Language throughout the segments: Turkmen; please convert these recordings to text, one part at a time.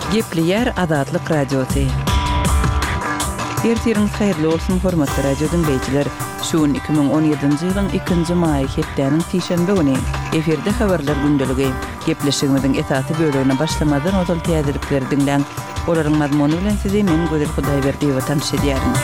Gepleýär Azatlyk Radiosy. Ertiriňiz haýyrly bolsun, hormatly radio diňleýjiler! Şu gün 2017-nji ýylyň ikinji maýy, hepdäniň sişenbe güni. Efirde habarlar gündeligi. Gepleşigimiziň esasy bölegine başlamazdan ozal täzelikleri diňläň. Olaryň mazmuny bilen sizi men Gözel Hudaýberdiýewa tanyş edýärin.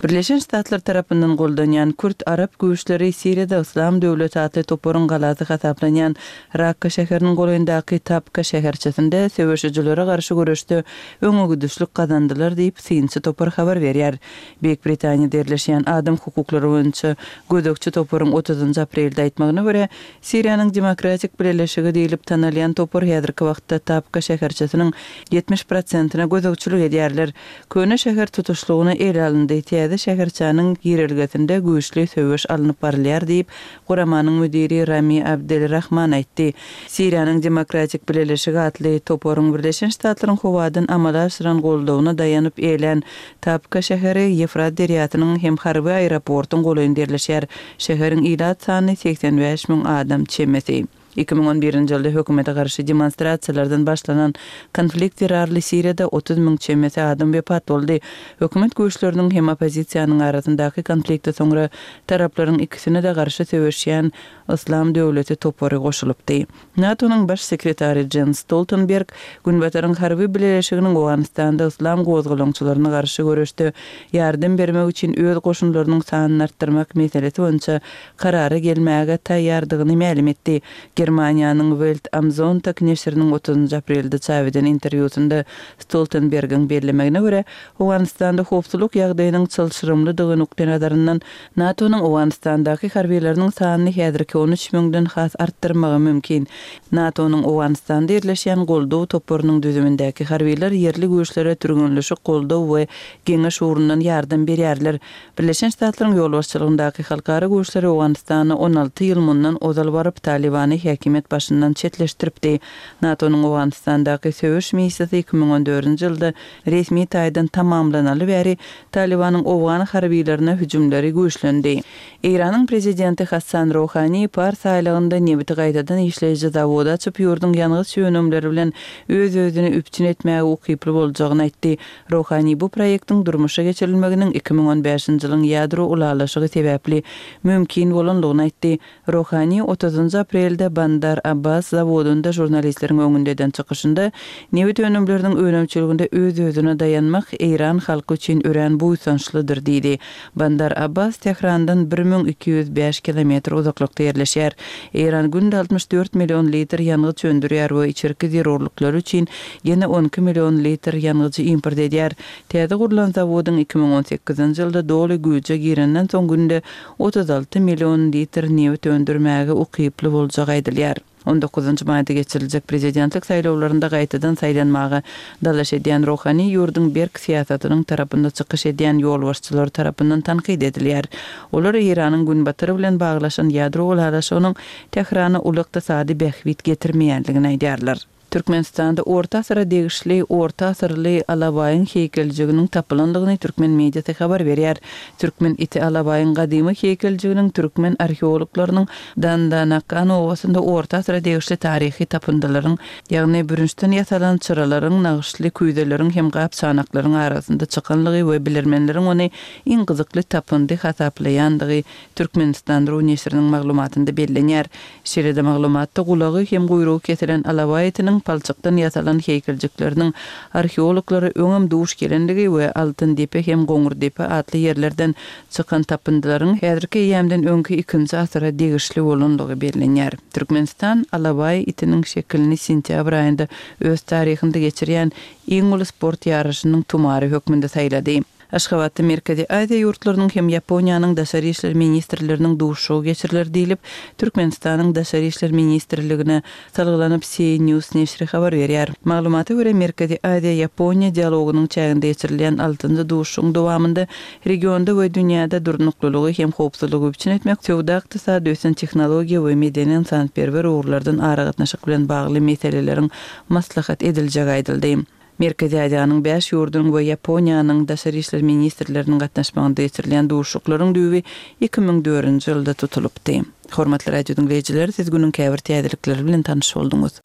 Birleşen Ştatlar tarapyndan goldanýan kürt-arap güýçleri Siriýada Yslam döwleti atly toparyň galasy hasaplanýan Rakka şäheriniň golaýyndaky Tabka şäherçesinde söweşijilere garşy göreşde öňegidişlik gazandylar diýip, synçy topar habar berýär. Beýik Britaniýada ýerleşýän adam hukuklary boýunça gözegçi toparyň otuzynjy aprelde aýtmagyna görä, Siriýanyň Demokratik Bileleşigi diýlip tanalýan topar häzirki wagtda Tabka şäherçesiniň 70 prosentine gözegçilik edýärler. Köne şäher tutuşlygyna ele alyndy, täze şäherçäniň girelgesinde güýçli söweş alnyp barylýar diýip, guramanyň müdiri Rami Abdel Rahman aýtdy. Siriýanyň Demokratik Bileleşigi atly toparyň Birleşen Ştatlaryň howadan amala aşyran goldawyna daýanyp eýlän Tabka şäheri Ýefrat derýasynyň hem harby aeroportyň golaýynda ýerleşýär. Şäheriň ilat sany 85 müň adam çemesi. 2011-nji ýylda hökümete garşy demonstrasiýalardan başlanan konflikt zerarly Siriýada 30 müň çemesi adam wepat boldy. Hökümet güýçleriniň hem oppozisiýanyň arasyndaky konflikte soňra taraplaryň ikisine-de garşy söweşýän Yslam döwleti topary goşulypdy. NATO-nyň Baş sekretary Jens Stoltenberg Günbataryň harby bileleşiginiň Owganystanda yslam gozgalaňçylaryna garşy göreşde ýardam bermek üçin öz goşunlarynyň sanyny artdyrmak meselesi boýunça karara gelmäge taýýardygyny mälim etdi. Germaniýanyň Welt am Sonntag neşiriniň otuzynjy aprelde çap eden interwýusynda Stoltenbergiň bellemegine görä, Owganystanda howpsuzlyk ýagdaýynyň çylşyrymlydygy nukdaýnazaryndan NATO-nyň Owganystandaky harbylarynyň sanyny häzirki 13 müňden has artdyrmagy mümkin. NATO-nyň Owganystanda ýerleşýän goldaw toparynyň düzümindäki harbylar ýerli güýçlere türgenleşik, goldaw we geňeş ugrundan ýardam berýärler. Birleşen Ştatlaryň ýolbaşçylygyndaky halkara güýçleri Owganystana 16 ýyl mundan ozal baryp, Talybany häkimiýet başyndan çetleşdiripdi. NATO-nyň Owganystandaky söweş missiýasy 2014-nji ýylda resmi taýdan tamamlanaly bäri Talybanyň owgan harbylaryna hüjümleri güýçlendi. Eýranyň prezidenti Hassan Rohani Pars aýlagynda nebiti gaýtadan işleýji zawody açyp, ýurduň ýangyç önümleri bilen öz-özüni üpjün etmäge ukyply boljagyny aýtdy. Rohani bu proýektiň durmuşa geçirilmeginiň 2015-nji ýylyň ýadro ylalaşygy sebäpli mümkin bolandygyny aýtdy. Rohani otuzynjy aprelde Bandar Abbas zawodynda žurnalistleriň öňünde eden çykyşynda, nebit önümleriniň önümçiliginde öz-özüne daýanmak eýran halky üçin örän buýsançlydyr diýdi. Bandar Abbas Tährandan 1205 kilometr uzaklykda ýerleşýär. Eýran günde 64 million litr ýangyç öndürýär we içerki zerurlyklary üçin ýene 12 million litr ýangyjy import edýär. Täze gurlan zawodyň 2018-nji ýylda doly güýje girenden soň günde 36 million litr nebit öndürmäge ukyply boljagy aýdylýar. On dokuzynjy maýda geçiriljek prezidentlik saýlawlarynda gaýtadan saýlanmaga dalaş edýän Rohani ýurduň berk syýasatynyň tarapynda çykyş edýän ýolbaşçylary tarapyndan tankyt edilýär. Olar Eýranyň Günbatar bilen baglaşan ýadro ylalaşygynyň Tährana uly ykdysady bähbit getirmeýändigini aýdýarlar. Türkmenistanda orta asyra degişli orta asyrly alabaýyň heýkeljiginiň tapylandygyny türkmen mediasy habar berýär. Türkmen iti alabaýyň gadymy heýkeljiginiň türkmen arheologlarynyň Dandanakan obasynda orta asyra degişli taryhy tapyndylaryň, ýagny bürünçden ýasalan çyralaryň, nagyşly küýzeleriň hem gap-çanaklaryň arasynda çykanlygy we bilermenleriň ony iň gyzykly tapyndy hasaplaýandygy Türkmenistan. Ru neşiriniň maglumatynda bellenýär. Şeýle-de maglumatda gulagy hem guýrugy kesilen alabaý itiniň palçykdan ýasalan heýkeljikleriniň arheologlara öňem duş gelendigi we Altyndepe hem Goňurdepe atly ýerlerden çykan tapyndylaryň häzirki eýýämden öňki ikinji asyra degişli bolandygy bellenýär. Türkmenistan alabaý itiniň şekilini sentýabr aýynda öz taryhynda geçirýän iň uly sport ýaryşynyň tumary hökmünde saýlady. Aşgabatda Merkezi Aziýa ýurtlarynyň hem Ýaponiýanyň daşary işler ministrleriniň duşuşygy geçiriler diýlip, Türkmenistanyň Daşary işler ministrligine salgylanyp CNews neşiri habar berýär. Maglumata görä, Merkezi Aziýa-Ýaponiýa dialogynyň çäginde geçirilýän altynjy duşuşygyň dowamynda regionda we dünýäde durnuklylygy hem howpsuzlygy üpjün etmek, söwda-ykdysady, ösen tehnologiýa we medeni-ynsanperwer ugurlardan aragatnaşyk bilen bagly meseleleriň maslahat ediljegi aýdyldy. Merkezi Aziýanyň bäş ýurdunyň we Ýaponiýanyň daşary işler ministrleriniň gatnaşmagynda geçirilýän duşuşyklaryň düýbi 2004-nji ýylda tutulypdy. Hormatly radiodiňleýjiler, siz günüň käbir täzelikleri bilen tanyş bolduňyz.